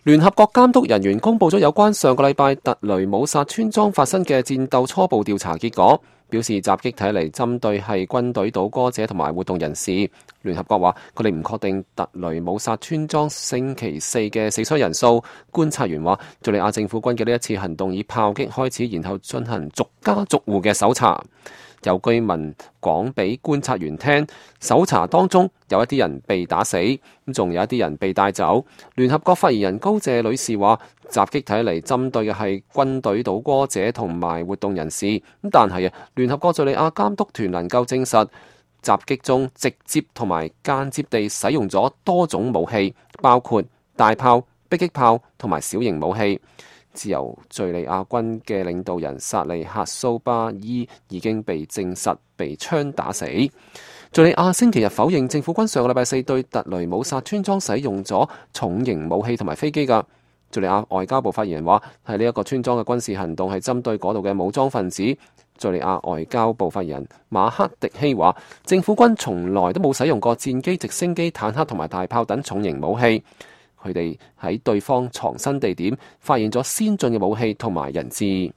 聯合國監督人員公佈咗有關上個禮拜特雷姆薩村莊發生嘅戰鬥初步調查結果，表示襲擊睇嚟針對係軍隊倒戈者同埋活動人士。聯合國話佢哋唔確定特雷姆薩村莊星期四嘅死傷人數。觀察員話，敘利亞政府軍嘅呢一次行動以炮擊開始，然後進行逐家逐戶嘅搜查。有居民講俾觀察員聽，搜查當中有一啲人被打死，仲有一啲人被帶走。聯合國發言人高謝女士話，襲擊睇嚟針對嘅係軍隊倒戈者同埋活動人士，但係聯合國敘利亞監督團能夠證實，襲擊中直接同埋間接地使用咗多種武器，包括大炮、迫擊炮同埋小型武器。自由敘利亞軍嘅領導人薩利克蘇巴伊已經被證實被槍打死。敘利亞星期日否認政府軍上個禮拜四對特雷姆薩村莊使用咗重型武器同埋飛機㗎。敘利亞外交部發言人話，係呢一個村莊嘅軍事行動係針對嗰度嘅武裝分子。敘利亞外交部發言人馬克迪希話，政府軍從來都冇使用過戰機、直升機、坦克同埋大炮等重型武器。佢哋喺對方藏身地點發現咗先進嘅武器同埋人質。